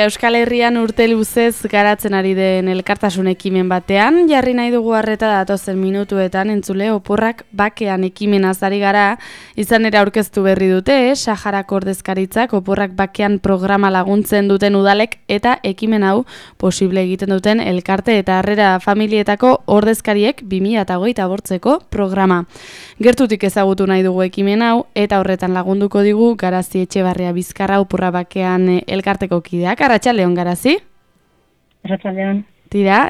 Euskal Herrian urte luzez garatzen ari den elkartasun ekimen batean, jarri nahi dugu arreta datozen minutuetan entzule oporrak bakean ekimenaz ari gara, izan ere aurkeztu berri dute, Saharako ordezkaritzak oporrak bakean programa laguntzen duten udalek eta ekimen hau posible egiten duten elkarte eta harrera familietako ordezkariek 2025ko programa. Gertutik ezagutu nahi dugu ekimen hau eta horretan lagunduko digu Garazi Etxebarria Bizkarra oporra bakean elkarteko kideak. Arratsaldeon Garazi. Arratsaldeon. Tira,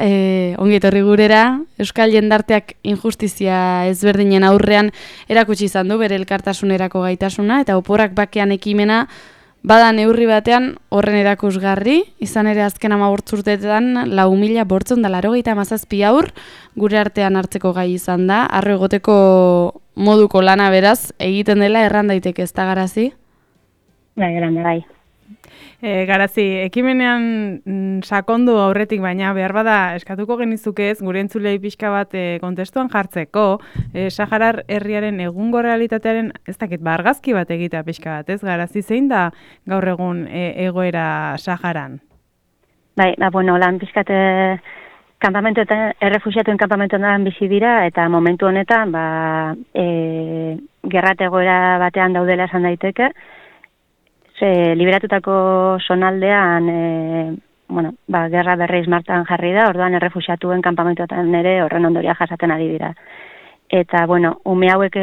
ongi etorri gurera, Euskal jendarteak injustizia ezberdinen aurrean erakutsi izan du bere elkartasunerako gaitasuna eta oporrak bakean ekimena bada neurri batean horren erakusgarri, izan ere azken 15 urteetan 4.587 haur gure artean hartzeko gai izan da, harro egoteko moduko lana beraz egiten dela erran daiteke, ez da Garazi? Bai, grande bai. Garazi, ekimenean sakondu aurretik baina behar bada eskatuko genizukez gure entzulei pixka bat kontestuan jartzeko Saharar herriaren egungo realitatearen ez dakit argazki bat egitea pixka bat, ez Garazi, zein da gaur egun egoera Saharan? Bai, lan pixkat kanpamentuetan, errefuxiatuen kanpamentuetan bizi dira eta momentu honetan gerrat egoera batean daudela esan daiteke. Liberatutako zonaldean, gerra berriz martan jarri da, orduan errefuxiatuen kanpamentuetan ere horren ondoria jasaten ari dira. Eta, ume hauek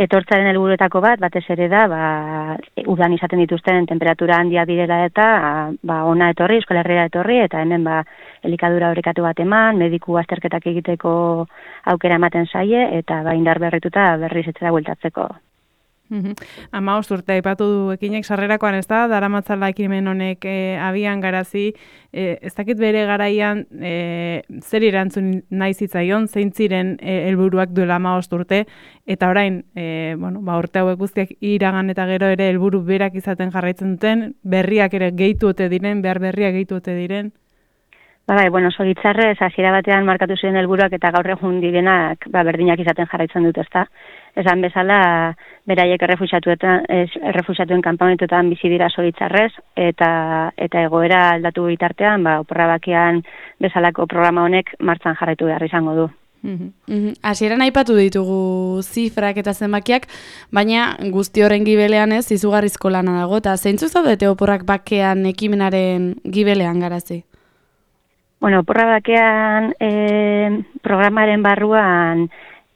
etortzaren helburuetako batez ere da, udan izaten dituzten temperatura handia direla eta ona etorri, Euskal Herria etorri, eta hemen elikadura orekatu bat eman, mediku azterketak egiteko aukera ematen zaie, eta indar berrituta berriz etxera bueltatzeko. 15 urte aipatu du ekinek sarrerakoan, ez da, daramatzala ekimen honek abian Garazi, ez dakit bere garaian zer erantzun nahi zitzaion, zein ziren helburuak duela 15 urte, eta orain, urte hauek guztiak iragan eta gero ere helburu berak izaten jarraitzen duten, berriak ere gehitu ote diren, behar berriak gehitu ote diren? Zoritzarrez, hasiera batean markatu ziren helburuak eta gaur egun direnak berdinak izaten jarraitzen dut, ezta. Esan bezala, beraiek errefuxiatuen kanpamentuetan bizi dira zoritzarrez, eta egoera aldatu bitartean, oporra bakean bezalako programa honek martxan jarraitu behar izango du. Hasieran aipatu ditugu zifrak eta zenbakiak, baina guzti horren gibelean ez izugarrizko lana dago, eta zeintzu zaudete oporrak bakean ekimenaren gibelean Garazi? Oporra bakean programaren barruan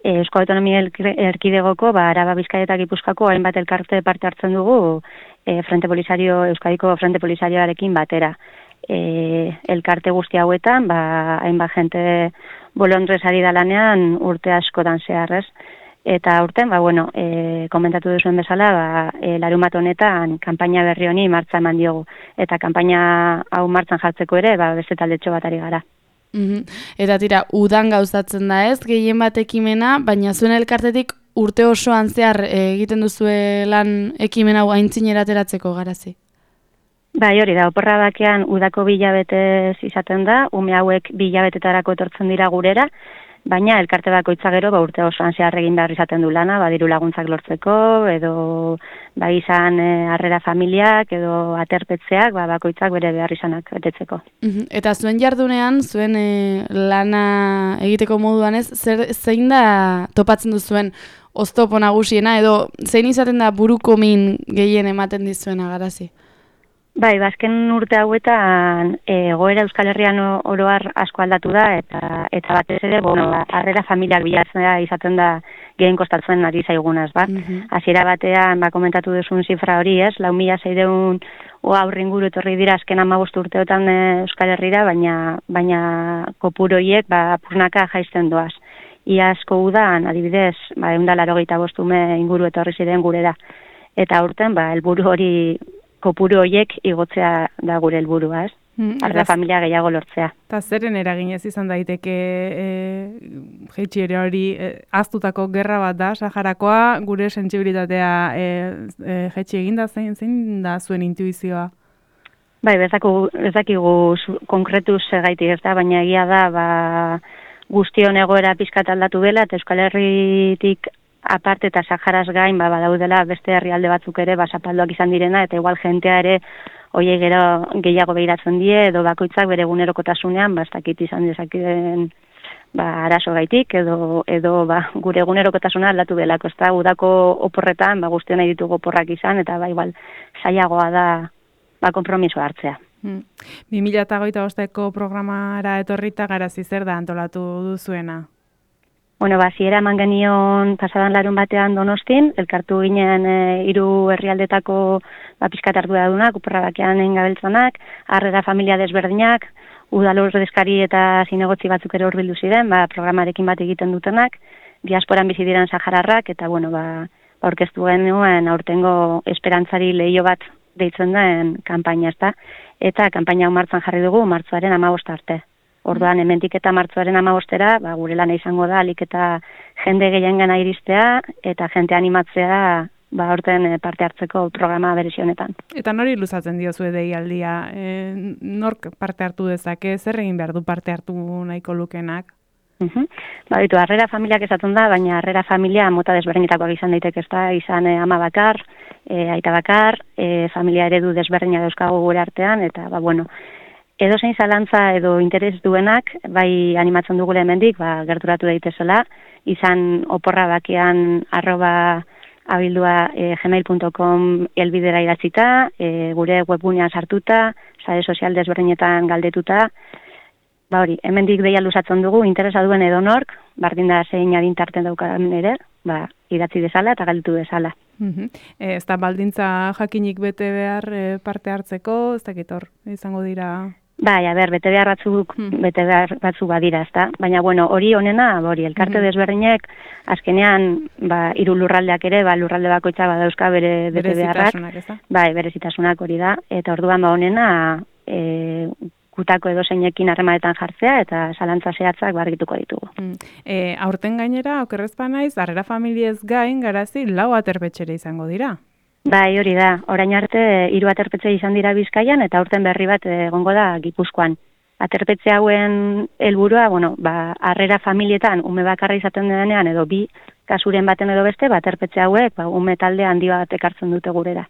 Euskal Autonomia Erkidegoko, Araba, Bizkaia eta Gipuzkoako hainbat elkarte parte hartzen dugu Euskadiko Frente Polisarioarekin batera. Elkarte guzti hauetan, hainbat jente bolondrez ari da lanean urte askotan zeharrez. Eta urten, komentatu duzuen bezala, larunbat honetan kanpaina berri honi martza eman diogu. Eta kanpaina hau martzan jartzeko ere, beste taldetxo bat ari gara. Eta tira, udan gauzatzen da ez, gehien bat ekimena, baina zuen elkartetik urte osoan zehar egiten duzue lan ekimen hau aintzinera ateratzeko Garazi? Bai, hori da, oporra bakean udako 2 hilabetez izaten da, ume hauek 2 hilabetetarako etortzen dira gurera, baina elkarte bakoitza gero urte osoan zehar egin behar izaten du lana, diru laguntzak lortzeko, edo izan harrera familiak, edo aterpetzeak, bakoitzak bere behar izanak betetzeko. Eta zuen jardunean, zuen lana egiteko moduan ez, zein da topatzen duzuen oztopo nagusiena, edo zein izaten da buruko min gehien ematen dizuena Garazi? Bai, azken urte hauetan egoera Euskal Herrian oroar asko aldatu da eta batez ere, harrera familiak bilatzea izaten da gehien kostatzen ari zaigunaz, Hasiera batean, komentatu duzun zifra hori, ez? 4.600 haur inguru etorri dira azken 15 urteotan Euskal Herrira, baina kopuru horiek purnaka jaisten doaz. Iazko udan, adibidez, 185 ume inguru etorri ziren gurera. Eta urten, helburu hori kopuru horiek igotzea da gure helburua, ez? Harrera familia gehiago lortzea. Eta zeren eraginez izan daiteke jaitxiera hori ahaztutako gerra bat da, Saharakoa, gure sentsibilitatea jaitsi eginda, zein da zuen intuizioa? Bai, bezakigu konkretuz segaitik ez da, baina egia da guztion egoera pizkat aldatu dela, eta Euskal Herritik aparte eta Saharaz gain, badaudela beste herrialde batzuk ere, zapalduak izan direna, eta igual jentea ere, hoiek gero gehiago behiratzen die, edo bakoitzak bere egunerokotasunean, ez dakit izan dezakeen arazo gaitik, edo gure egunerokotasuna aldatu delako, ezta udako oporretan, guztien nahi ditugu oporrak izan, eta igual zailagoa da konpromiso hartzea. 2025ko programara etorrita Garazi zer da antolatu duzuena? Bueno, ziera eman genion pasadan larun batean Donostin, elkartu ginen 3 herrialdetako pizkat arduradunak, oporra bakean engabeltzanak, harrera familia desberdinak, udal ordezkari eta zinegotzi batzuk ere hurbildu ziren, programarekin bat egiten dutenak, diasporan bizi diren sahararrak, eta aurkeztu genuen aurtengo esperantzari leio bat deitzen den kanpaina, ezta? Eta kanpaina hau martxan jarri dugu, martxoaren 15 arte. Orduan, hemendik eta martxoaren 15era, gure lana izango da, alik eta jende gehiengana iristea, eta jente animatzea, aurten parte hartzeko programa berezi honetan. Eta nori luzatzen diozu deialdia? Nork parte hartu dezake, zer egin behar du parte hartu nahiko lukenak? Harrera familiak esaten da, baina harrera familia mota desberdinetakoak izan daiteke, ezta, izan ama bakar, aita bakar, familia eredu desberdina dauzkagu gure artean, eta, edo zein zalantza edo interes duenak, bai animatzen dugule hemendik, gerturatu daitezela, izan oporra bakean @abildua gmail.com helbidera idatzita, gure webgunean sartuta, sare sozial desberdinetan galdetuta, hemendik deia luzatzen dugu, interesa duen edonork, bardin da zein adintarten daukadan ere, idatzi dezala eta galdetu dezala. Ez da baldintza jakinik bete behar parte hartzeko, ez dakit hor, izango dira... bete behar batzuk badira, ezta? Baina, hori honena, elkarte desberdinek, azkenean, 3 lurraldeak ere, lurralde bakoitza badauzka bere bete beharrak. Berezitasunak hori da. Eta orduan, honena, gutako edo zeinekin harremanetan jartzea, eta zalantza zehatzak argituko ditugu. Aurten gainera, okerrezpa naiz, harrera familiez gain, Garazi, 4 aterpetxere izango dira. Hori da. Orain arte 3 aterpetxe izan dira Bizkaian eta aurten berri bat egongo da Gipuzkoan. Aterpetxe hauen helburua, harrera familietan ume bakarra izaten denean edo 2 kasuren baten edo beste, aterpetxe hauek ume talde handi bat ekartzen dute gurera.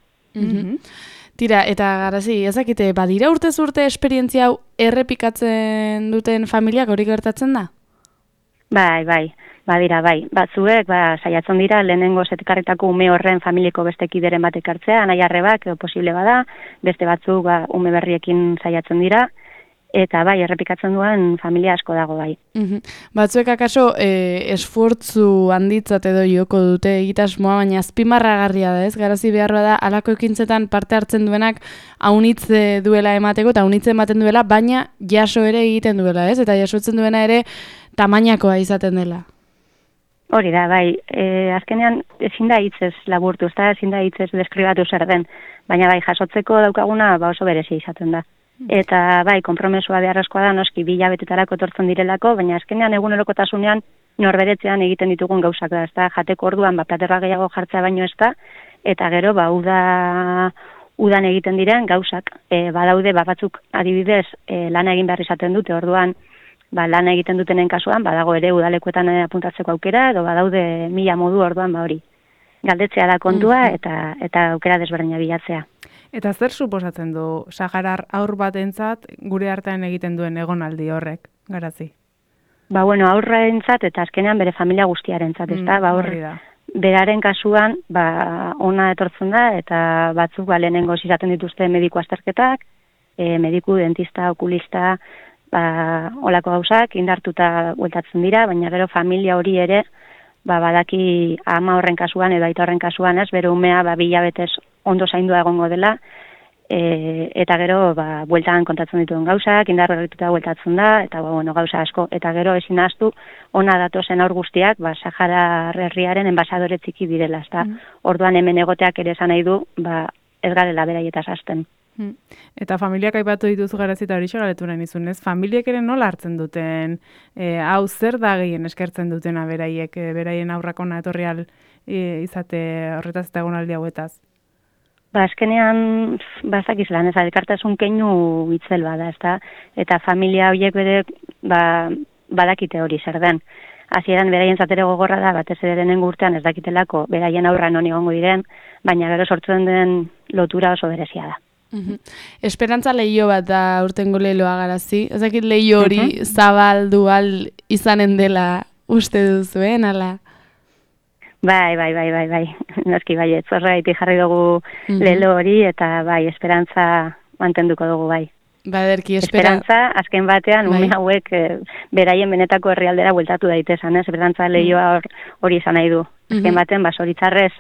Tira, eta Garazi, ezakite, badira urtez urte esperientzia hau errepikatzen duten familiak hori gertatzen da? Badira, batzuek, saiatzen dira, lehenengo zetekarritako ume horren familieko beste kideren bat ekartzea, nahi arrebak, posible bada, beste batzuk ume berriekin saiatzen dira, eta errepikatzen duen familia asko dago bai. Batzuek akaso esfortzu handitzat edo joko dute egitasmoa, baina azpimarragarria da, ez? Garazi beharra da, alako ekintzetan parte hartzen duenak aunitz duela emateko, eta aunitz ematen duela, baina jaso ere egiten duela, ez? Eta jasotzen duena ere tamainakoa izaten dela. Hori da, azkenean ezin da hitzez laburtu, ezin da hitzez deskribatu zer den, baina jasotzeko daukaguna oso berezia izaten da. Eta konpromesua beharrezkoa da, noski 2 hilabetetarako etortzen direlako, baina azkenean egunerokotasunean norberetzean egiten ditugun gauzak da, ezta jateko orduan platerra gehiago jartzea baino ez da, eta gero udan egiten diren gauzak. Badaude batzuk adibidez lana egin behar izaten dute, orduan lana egiten dutenen kasuan, badago ere udalekuetan apuntatzeko aukera, edo badaude 1000 modu orduan hori. Galdetzea da kontua eta aukera desberdina bilatzea. Eta zer suposatzen du saharar haur batentzat gure artean egiten duen egonaldi horrek, Garazi? Haurrentzat eta azkenean bere familia guztiarentzat, ezta? Beraren kasuan, ona etortzen da, eta batzuk lehenengo izaten dituzte mediku azterketak, mediku, dentista, okulista, olako gauzak, indartuta bueltatzen dira, baina gero familia hori ere, badaki ama horren kasuan edo aita horren kasuan ez, bere umea 2 hilabetez ondo zaindua egongo dela, eta gero bueltan kontatzen dituen gauzak, indartuta bueltatzen da, eta gauza asko, eta gero ezin ahaztu, ona datozen aur guztiak, Sahara herriaren enbasadore txiki direla, ezta? Orduan hemen egoteak ere esan nahi du, ez garela beraietaz hasten. Eta familiak aipatu dituzu Garazi eta hori galetu nahi nizun, ez? Familiek ere nola hartzen duten, hau zer da gehien eskertzen dutena beraiek, beraien aurrak ona etorrial izate horretaz eta egonaldi hauetaz? Azkenean, bazakiz lan, ez elkartasun keinu itzel bada, ezta? Eta familia horiek bere badakite hori zer den. hasieran beraien zatere gogorra da, batez ere lehenengo urtean ez dakitelako beraien aurra non egongo diren, baina gero sortzen den lotura oso berezia da. Esperantza leio bat da urtengo leiloa Garazi. Ez dakit leio hori zabal dual izanen dela uste duzuen, ala? Bai. Noski bai, zorraitik jarri dugu lelo hori, eta bai, esperantza mantenduko dugu bai. Baderki, esperantza, azken batean, ume hauek beraien benetako herrialdera bueltatu daitezan, esperantza lehioa hori izan nahi du. Azken baten, zoritzarrez,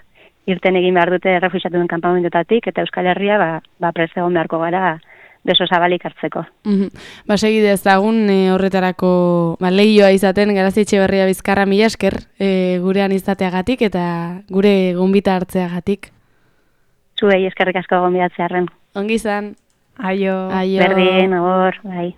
irten egin behar dute refuxiatuen kanpamentotatik, eta Euskal Herria, prest egon beharko gara, beso zabalik hartzeko. Segide ezagun horretarako lehioa izaten, Garazi Etxeberria Bizkarra, mila esker gurean izateagatik, eta gure gonbita hartzeagatik. Zuei eskerrik asko gonbidatzearren. Ongi izan. Aio. Berdin, agor, bai.